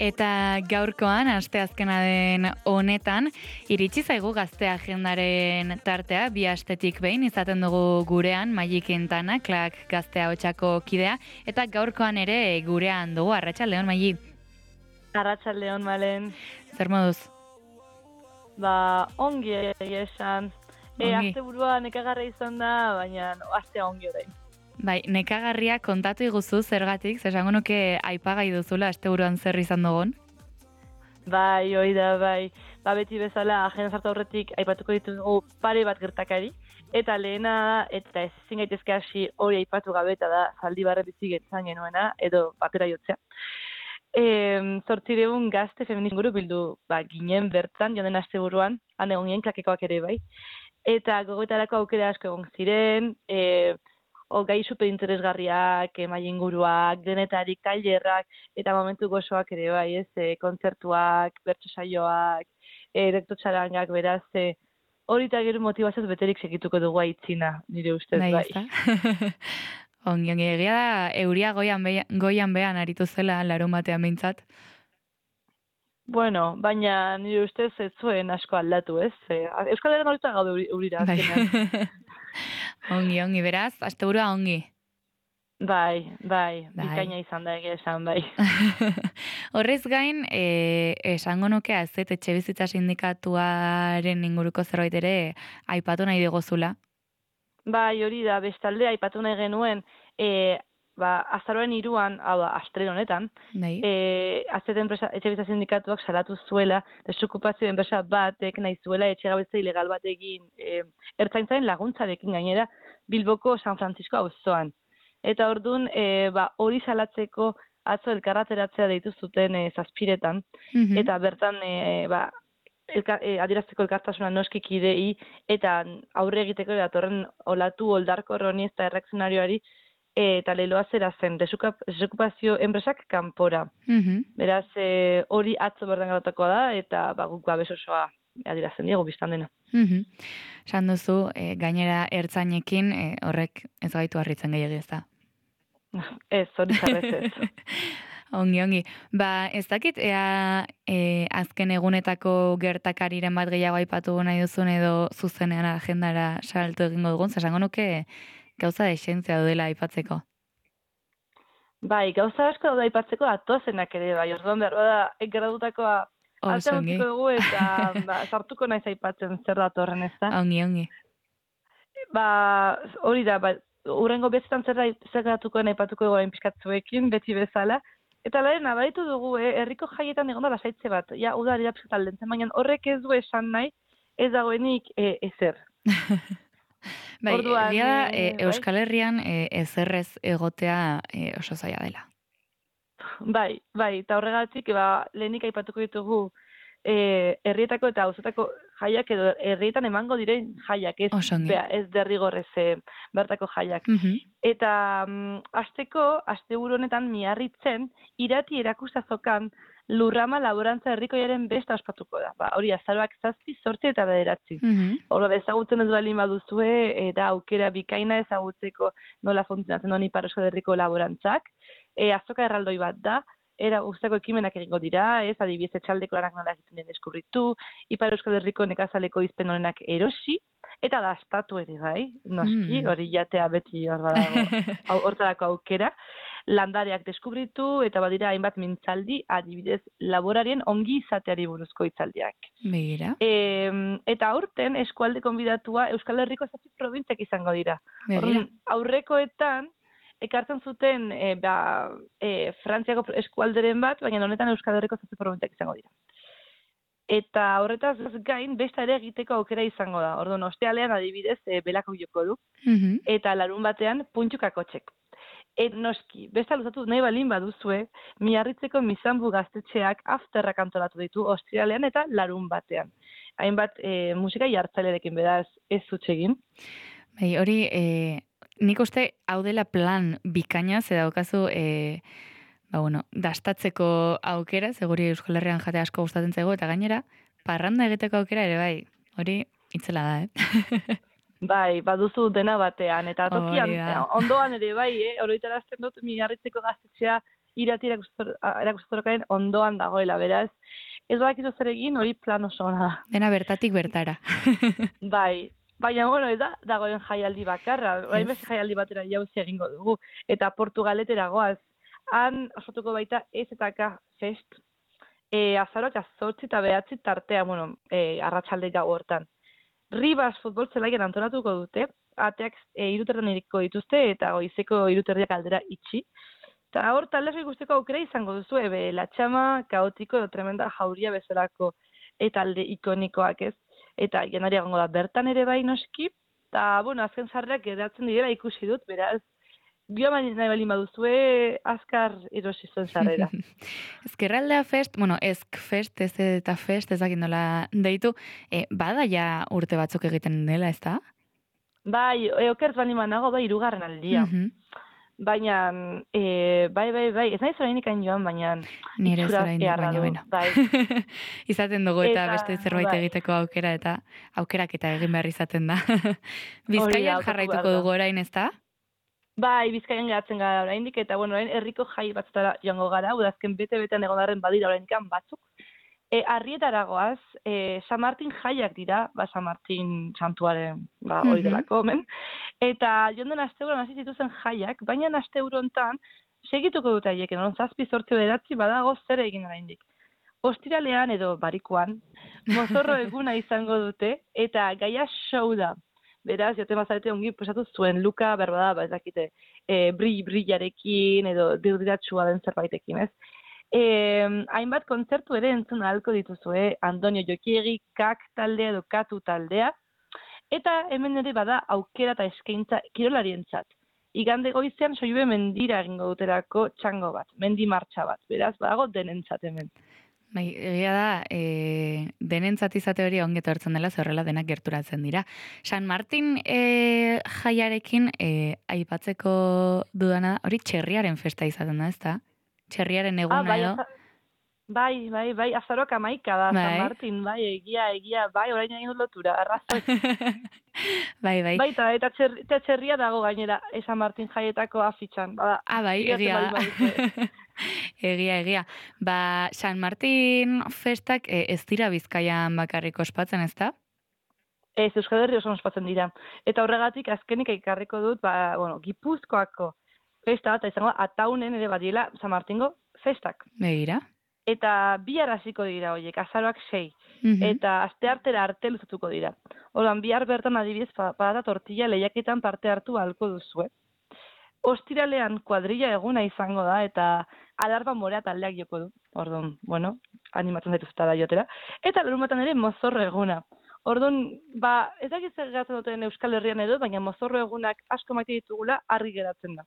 Eta gaurkoan, asteazkena den honetan, iritsi zaigu gazte agendaren tartea, bi astetik behin izaten dugu gurean, Maili Quintana, Klak Gaztea Hotsako kidea, eta gaurkoan ere gurean dugu, arratsaldeon Maili. Arratsaldeon, Malen. Zer moduz? Ongi esan. Asteburua nekagarria izan da, baina astea ongi orain. Bai, nekagarria kontatu iguzu zergatik, esango nuke aipagai duzula asteburuan zer izan dugun? Bai, hori da, bai. Beti bezala, agenda sartu aurretik aipatuko ditugu pare bat gertakari, eta lehena, eta ezin gaitezke hasi hori aipatu gabe, eta da, Zaldibarren bizi gentzan genuena, edo batera jotzea. 800 gazte feminista inguru bildu ginen bertan, joan den asteburuan, han egon ginen Klakekoak ere bai. Eta gogoetarako aukera asko egon ziren, gai super interesgarriak, maila inguruak, denetarik, tailerrak, eta momentu gozoak ere bai, kontzertuak, bertso saioak, rekto txarangak, beraz, hori eta gero motivazioz beterik segituko dugu aitzina, nire ustez bai. Ongi, egia da, euria goian behan aritu zela larun batean behintzat. Bueno, baina nire ustez ez zuen asko aldatu, ez? Euskal Herrian horita gaude eurira azkenean. Ongi, beraz, asteburua ongi. Bai, bikaina izan da egia esan, bai. Horrez gain, esango nuke azet etxebizitza sindikatuaren inguruko zerbait ere aipatu nahi digozula. Bai, hori da, bestalde aipatu nahi genuen, azaroaren 3an, astrel honetan, azet etxebizitza sindikatuak salatu zuela, desokupazio enpresa batek nahi zuela etxegabetza ilegal bat egin ertzaintzaren laguntzarekin gainera Bilboko San Francisco auzoan. Eta orduan, hori salatzeko atzo elkarrateratzea deitu zuten zazpiretan, eta bertan, adierazteko elkartasuna noski kidei, eta aurre egiteko datorren olatu oldarkor honi eta erreakzionarioari, eta leloa zera zen, desokupazio enpresak kanpora. Beraz, hori atzo berdan garotakoa da, eta guk babes osoa adierazten diegu biztan dena. Esan duzu, gainera ertzainekin horrek ez gaitu harritzen gehiagia ez da. Ez, hori jarrez ez. Ongi. Ez dakit, azken egunetako gertakariren bat gehiago aipatu nahi duzun edo zuzenean agendara salto egingo dugun, zasango nuke gauza desentzia dudela aipatzeko. Bai, gauza asko daude aipatzeko atozenak ere, bai, orduan behar da, gradutakoa altea utziko dugu eta sartuko naiz aipatzen zer datorren ez da. Ongi. Hori da, urrengo bezetan zer gertatuko aipatuko dugu pixkatzuekin, beti bezala. Eta lehen, abaritu dugu, herriko jaietan egon da lasaitze bat. Ja, udari da pixkat aldentzen, baina horrek ez du esan nahi, ez dagoenik ezer. Bai, egia da, Euskal Herrian ezerrez egotea oso zaila dela. Bai, eta horregatik, lehenik aipatuko ditugu herrietako eta auzoetako jaiak edo herrietan emango diren jaiak, ez derrigorrez bertako jaiak. Eta asteburu honetan Miarritzen irati erakustazokan Lurrama laborantza herrikoiaren besta ospatuko da. Hori azaroak 7, 8 eta 9. Horra ezagutzen ez baldin baduzue, eta aukera bikaina ezagutzeko nola funtzionatzen duen Ipar Euskal Herriko laborantzak. Azoka erraldoi bat da, guztako ekimenak egingo dira, adibidez etxaldeko lanak nola egiten den deskubritu, Ipar Euskal Herriko nekazaleko izpen honenak erosi, eta dastatu ere bai, noski, hori jatea beti hortarako aukera, landareak deskubritu, eta badira hainbat mintzaldi, adibidez laborarien ongi izateari buruzko hitzaldiak. Begira. Eta aurten eskualde konbidatua Euskal Herriko 7 probintziak izango dira. Aurrekoetan, ekartzen zuten Frantziako eskualderen bat, baina honetan Euskal Herriko 7 probintziak izango dira. Eta horretaz gain, besta ere egiteko aukera izango da. Orduan, ostealean adibidez, belako joko du. Eta larun batean, puntxukakotxek. Noski, besta luzatu nahi balin baduzue, Miarritzeko Mizanbu gaztetxeak afterrak antolatu ditu ostealean eta larun batean. Hainbat musika jartzailerekin beraz ez zutsegin. Bai, hori, nik uste hau dela plan bikaina, ze daukazu dastatzeko aukera, seguri Euskal Herrian jate asko gustatzen zego, eta gainera, parranda egiteko aukera ere bai, hori itzela da, Bai, baduzu dena batean, eta tokian, ondoan ere bai, oroitarazten dut Miarritzeko gaztetxea irati erakustotokaren ondoan dagoela, beraz, ez badakizu zer egin, hori plan oso ona da. Dena bertatik bertara. Bai, baina, bueno, ez da, dagoen jaialdi bakarra, orain beste jaialdi batera jauzi egingo dugu, eta Portugaletera goaz, han osatuko baita EZK Fest, azaroak 8 eta 9 tartea, bueno, arratsalde gau hortan. Ribas futbol zelaian antolatuko dute, ateak 3 iriko dituzte, eta goizeko 3 aldera itxi. Eta hor, taldeak ikusteko aukera izango duzu, latxama, kaotiko, edo tremenda jauria bezalako talde ikonikoak ez. Eta janari egongo da bertan ere bai noski, eta, bueno, azken sarrerak geratzen direla ikusi dut, beraz, nahi bali baduzue, azkar erosi zuen sarrera. Ezkerraldea Fest, bueno, Ezk Fest, ez eta Fest, ezakit nola deitu, bada ja urte batzuk egiten dela, ez da? Bai, okertz bali manago, bai, 3. aldia. Baina, bai, ez nahi zorainik hain joan, baina... Nire zorainik, baina, bueno. Bai. Izaten dugu eta beste zerbait egiteko aukera, eta aukerak eta egin behar izaten da. Bizkaian jarraituko dugu orain, ez da? Bai, Bizkaian geratzen gara oraindik, eta bueno, orain herriko jai batzutara joango gara, udazken bete-betean egondarren badira oraindikan batzuk. Arrietara goaz, San Martin jaiak dira, San Martin santuaren hori delako, men. Eta jonden asteuron hasi zituzen jaiak, baina asteuro hontan segituko dute haiek, 7-8 badago zer egin oraindik. Ostiralean edo barikuan, mozorro eguna izango dute, eta gaia show da. Beraz, jote bazarete ongi pesatu zuen, Luka, berbada, ez dakite, brillarekin edo dirdiratxua den zerbaitekin, ez? Hainbat kontzertu ere entzun ahalko dituzue, Antonio Jokiegi, Kak taldea edo Katu taldea, eta hemen ere bada aukera eta eskaintza kirolarientzat. Igande goizean Sollube mendira egingo duterako txango bat, mendi martxa bat, beraz, badago denentzat hemen. Bai, egia da, denentzat izate hori ongeto hartzen dela, zerrela denak gerturatzen dira. San Martin jaiarekin aipatzeko dudana, hori txerriaren festa izaten da, ez da? Txerriaren eguna edo? Bai, azaroak 11 da, San Martin, bai, egia, bai, orain egin dut lotura, arrazoi. Bai. Bai, eta txerria dago gainera, San Martin jaietako afitxan. Bai, egia. Egia. Ba, San Martin festak ez dira Bizkaian bakarrik ospatzen, ez da? Ez, Euskal Herri oso ospatzen dira. Eta horregatik azkenik ikarriko dut, Gipuzkoako festa bat, izango Ataunen ere badiela San Martingo festak. Begira. Eta bihar hasiko dira horiek, azaroak 6. Eta asteartera arte luzatuko dira. Orduan, bihar bertan adibidez, patata tortilla lehiaketan parte hartu ahalko duzue. Ostiralean kuadrilla eguna izango da, eta alarba morea taldeak joko du. Orduan, bueno, animatzen zaituzta da jotera. Eta larunbatan ere mozorro eguna. Orduan, ez dakit zer geratzen duten Euskal Herrian edo, baina mozorro egunak asko maite ditugula argi geratzen da.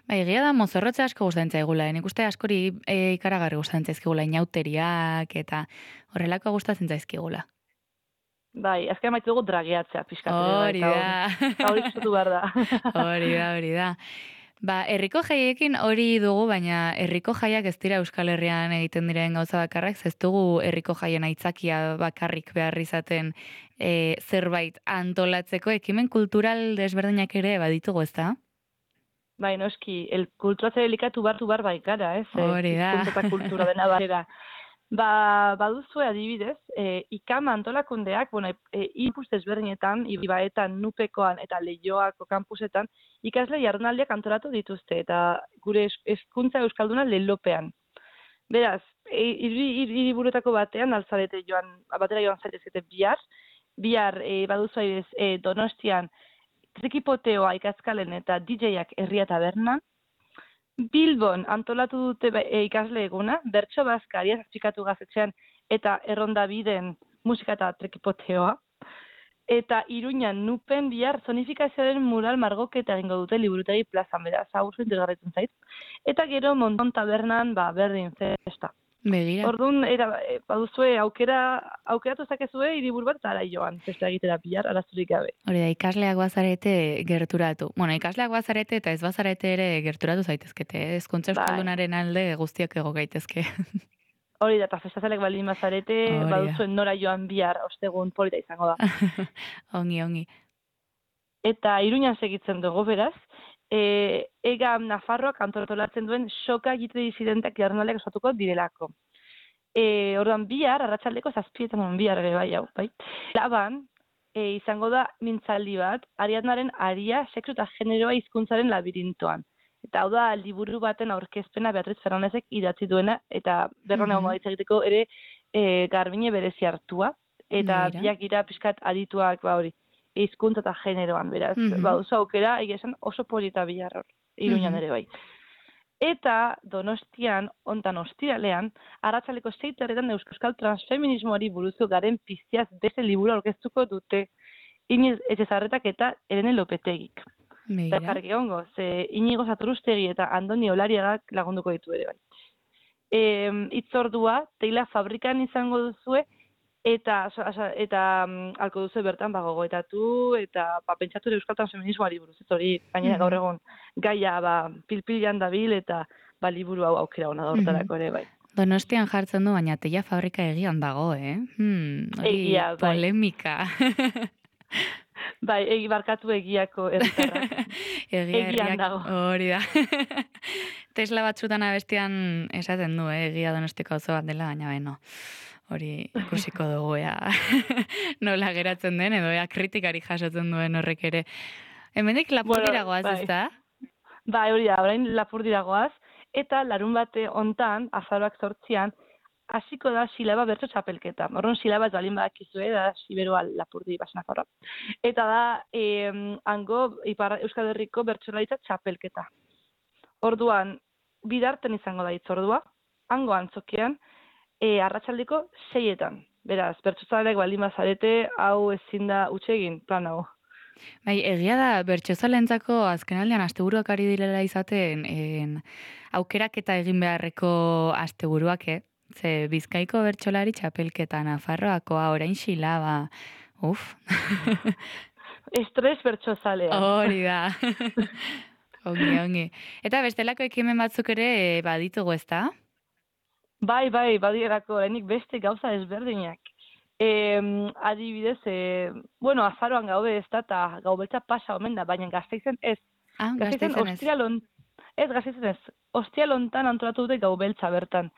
Bai, egia da mozorrotza asko gustatzen zaigula. Nik uste askori ikaragarri gustatzen zaizkigula, inauteriak eta horrelako gustatzen zaizkigula. Bai, azken maitu dugu drageatzea pixkatzen. Hori da. Hori gustatu behar da. Hori da. Ba, herriko jaiekin hori dugu, baina herriko jaiak ez dira Euskal Herrian egiten diren gauza bakarrak, ez dugu herriko jaien aitzakia bakarrik behar izaten zerbait antolatzeko, ekimen kultural desberdinak ere baditugu, ez da? Bai, noski, kulturatzea delikatu bar baikara, ez? Hori da. Hizkuntza kultura dena batera. Baduzue adibidez, ikama antolakundeak, inpus desberdinetan, ibaetan, nupekoan eta leioako kampusetan, ikasle jardunaldiak antolatu dituzte, eta gure hezkuntza euskalduna lelopean. Beraz, hiriburuetako batean, batera joan zaitezkete bihar baduzue adibidez Donostian, trikipoteoa ikazkalen eta DJ-ak herria tabernan. Bilbon antolatu dute ikasle eguna, bertso bazka ariaz atxikatu gazetxean eta erronda biden musika eta trikipoteoa. Eta Iruñan nupen bihar zonifikazioaren mural margoketa egingo dute liburutegi plazan, beraz, hau interesgarritzen zait. Eta gero Monton tabernan, berdin festa. Begira. Orduan, baduzue aukeratu zakezue hiriburu bat ara joan, festa egitera bihar, arazurik gabe. Hori da, ikasleak bazarete gerturatu. Ikasleak bazarete eta ez bazarete ere gerturatu zaitezkete. Hezkuntza euskaldunaren alde guztiak ego gaitezke. Hori da, eta festazalek baldin bazarete, baduzuen nora joan bihar, ostegun polita izango da. Ongi. Eta Iruñan segitzen dugu, beraz, Ega Nafarroak antolatzen duen soka egite disidentak jardunaldiak osatuko direlako. Orduan bihar, arratsaldeko 7:00 bihar ere bai, hau, bai. Laban, izango da mintzaldi bat, Ariadnaren aria, sexu eta generoa hizkuntzaren labirintoan. Eta hau da, liburu baten aurkezpena Beatriz Fernandezek idatzi duena, eta berran egon egiteko ere Garbine berezi hartua. Eta biak dira pixkat adituak, ba hori, hizkuntza eta generoan, beraz. Ba, oso aukera, egia esan oso polita bihar hor, Iruñan ere bai. Eta Donostian, ontan ostiralean, arratsaldeko 6:00 euskal transfeminismoari buruzko garen piztiaz beste liburu aurkeztuko dute Iniz Etxezarretak eta Elene Lopetegik. Eta jarrik egongo, ze Inigo Saturustegi eta Andoni Olariagak lagunduko ditu ere bai. Itzordua, teila fabrikan izango duzue, eta alko duzu bertan gogoetatu eta pentsatu ere euskal transfeminismoari buruz. Ez hori, gainera gaur egon gaia pilpilan dabil eta liburu hau aukera hona hortarako ere bai. Donostian jartzen du, baina teila fabrika egian dago, Hori polemika. Bai, barkatu egiako herritarrak. Egian dago. Hori da. Tesla batzutan abestian esaten du, egia Donostiko auzo bat dela, baina beno. Hori ikusiko dugu, nola geratzen den, edo kritikari jasotzen duen horrek ere. Hemendik Lapurdira goaz, ez da? Bai, hori da, orain Lapurdira goaz, eta larun bate hontan, azaroak 8, hasiko da Silaba bertso txapelketa. Horren Silaba ez balin badakizue, da Siberoa Lapurdi Basenafarroa. Eta da, hango Euskal Herriko bertsolaritzak txapelketa. Orduan, bidarten izango da itzordua, hango antzokian, arratsaldeko 6:00. Beraz, bertsozaleak baldin bazarete, hau ezin da egin plan hau. Bai, egia da, bertsozalentzako azkenaldean asteburuak ari direla izaten, aukerak eta egin beharreko asteburuak, Ze Bizkaiko bertsolari txapelketa, Nafarroakoa, orain Silaba, Estres bertsozalea. Hori da. Ongi. Eta bestelako ekimen batzuk ere baditugu, ez da? Bai, badirako, orainik beste gauza ezberdinak. Adibidez, azaroan gaude ez da, eta gaubeltza pasa omen da, baina Gasteizen ez. Gasteizen ez. Ostialontan antolatu dute gaubeltza bertan.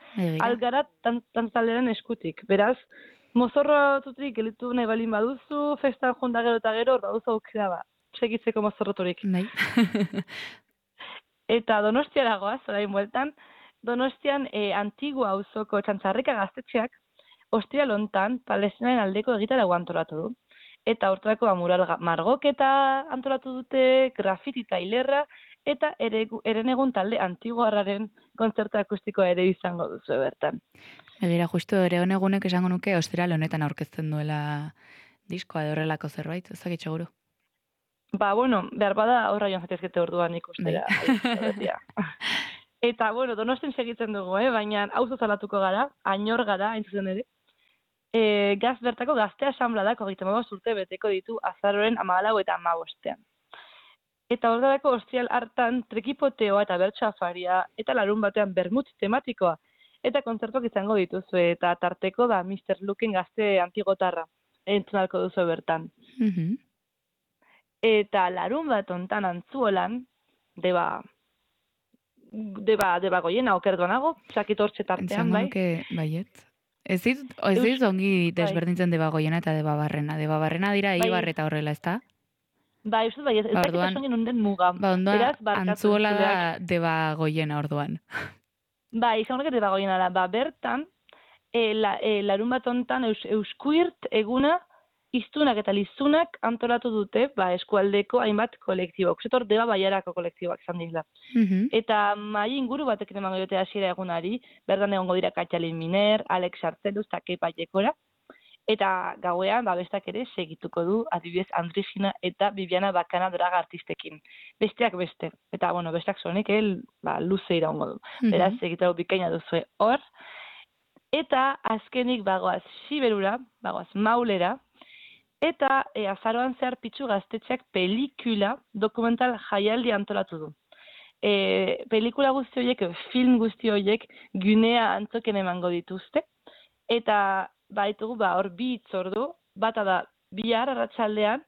Algara tantzaldearen eskutik. Beraz, mozorrotutik gelitu nahi balin baduzu, festan jonda gero eta gero, baduzu aukera segitzeko mozorroturik. Nahi. Eta Donostiara goaz, orain bueltan, Donostian Antigua auzoko Txantzarrika gaztetxeak ostialontan Palestinaren aldeko egitaragua antolatu du. Eta hortarako mural margoketa antolatu dute, grafiti eta hilerra, eta Herenegun talde Antiguarraren kontzertu akustikoa ere izango duzu bertan. Egira, justu Herenegunek esango nuke ostiral honetan aurkezten duela diskoa edo horrelako zerbait, ezagit seguru. Behar bada horra joan zatezkete orduan ikustera. Eta, Donostin segitzen dugu, baina auzo zalatuko gara, Añor gara, hain zuzen ere. Gaz bertako gazte asanbladak 35 urte beteko ditu azaroren 14 eta 15. Eta horretarako ostiral hartan trekipoteoa eta bertso afaria eta larun batean bermut tematikoa. Eta kontzertuak izango dituzu eta tarteko da Mr. Luken gazte antigotarra. Entzunalko duzu bertan. Eta larun bat ontan Antzuolan, deba goiena okerduanago, sakit hortxe tartean, bai? Entzango nuke baiet. Ez dit ongi desberdintzen deba goiena eta deba barrena. Deba barrena dira Eibar eta horrela, ez da? Bai, ez dakit osongin unden muga. Ondoan, Antzuola da deba goiena orduan. Bai, izan horrek deba goiena da. Bertan, larun bat ontan Euskuirt eguna iztunak eta lizunak antolatu dute, eskualdeko hainbat kolektiboak. Zetor deba baiarako kolektiboak izan dira. Eta mai inguru batek emango dute hasiera egunari, bertan egongo dira Katxalin Miner, Alex Artzeluz eta Kepa Jekora. Eta gauean, bestak ere segituko du, adibidez Andrigina eta Bibiana Bakana draga artistekin. Besteak beste. Eta, besteak zonek, luze iraungo du. Beraz, segitako bikaina duzu hor. Eta azkenik bagoaz Siberura, bagoaz Maulera, eta azaroan zehar Pitxu gaztetxeak pelikula dokumental jaialdi antolatu du. Pelikula guzti horiek, film guzti horiek, Gunea antzoken emango dituzte. Eta baitugu, hor bi itzordu, bata da bihar arratsaldean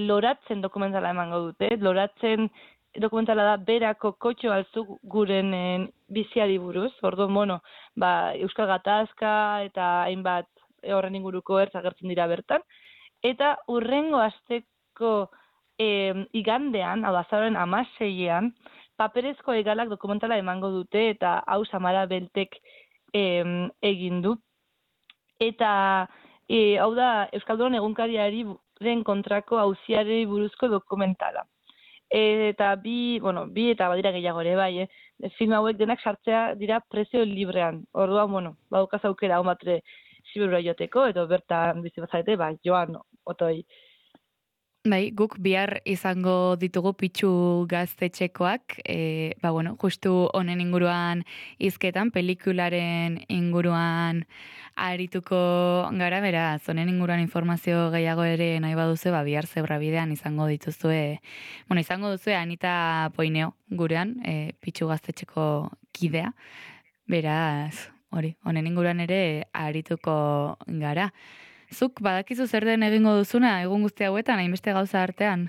loratzen dokumentala emango dute. Loratzen dokumentala da berako kotxo altzuk guren biziari buruz. Orduan, bueno, Euskal Gatazka eta hainbat horren inguruko ertz agertzen dira bertan. Eta urrengo asteko igandean, hau azaroaren 16ean, paperezko hegalak dokumentala emango dute eta hau Samara Beltek egin du. Eta hau da Euskaldunon egunkariari kontrako auziari buruzko dokumentala. Eta bi eta badira gehiago ere, bai, film hauek denak sartzea dira prezio librean. Orduan, badukaz aukera hon batre Siberura joteko, edo bertan bizi bazarete, joan otoi. Bai, guk bihar izango ditugu Pitxu Gaztetxekoak, justu honen inguruan hizketan, pelikularen inguruan arituko gara, beraz, honen inguruan informazio gehiago ere nahi baduzu, bihar Zebrabidean izango dituzue, izango duzue Anita Poineo gurean, Pitxu Gaztetxeko kidea, beraz, honen inguruan ere arituko gara. Zuk badakizu zer den egingo duzuna egun guzti hauetan, hainbeste gauza artean?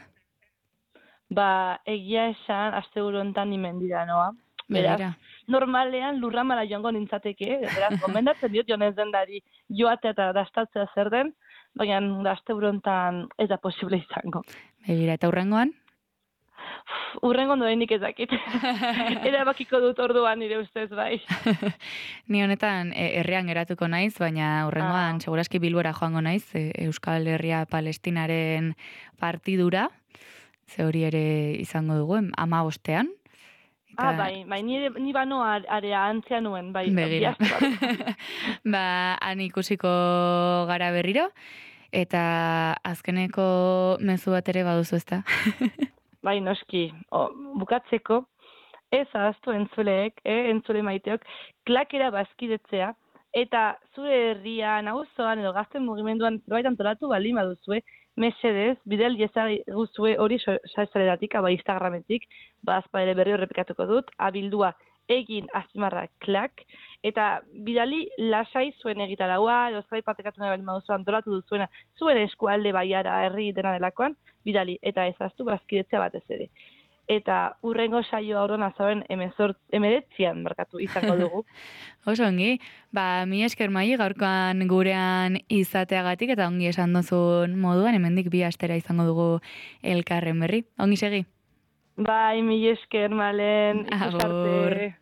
Egia esan, asteburu hontan ni mendira noa. Beraz, normalean lurramara joango nintzateke, beraz, gomendatzen diot jonez dendari joatea eta dastatzea zer den, baina asteburu hontan ez da posible izango. Begira, eta hurrengoan? Hurrengo doenik ezakit. Erabakiko dut orduan nire ustez, bai. Ni honetan herrian geratuko naiz, baina hurrengoan seguraski Bilbora joango naiz, Euskal Herria Palestinaren partidura, ze hori ere izango dugu, 15ean. Bai, ni bano area antzea nuen, bai. Begira. Han ikusiko gara berriro, eta azkeneko mezu bat ere baduzu ezta? Bai, noski, bukatzeko, ez ahaztu entzuleek, entzule maiteok, klakera bazkidetzea, eta zure herrian, auzoan edo gazten mugimenduan zerbait antolatu baldin baduzue, mesedez, bidel iezaguzue hori saizaleratik, Instagrametik, ere berri horrepikatuko dut, abildua egin azpimarra klak, eta bidali lasai zuen egitaraua, edo zerbait partekatu nahi baldin baduzu antolatu duzuena, zuen eskualde baiara herri dena delakoan, bidali, eta ezaztu bazkidetzea batez ere. Eta hurrengo saio aurren azaben 19an markatu izango dugu. Oso ongi, mi esker Mai gaurkoan gurean izateagatik eta ongi esan duzun moduan, hemendik 2 astera izango dugu elkarren berri. Ongi segi? Bai, mi esker Malen. Agur.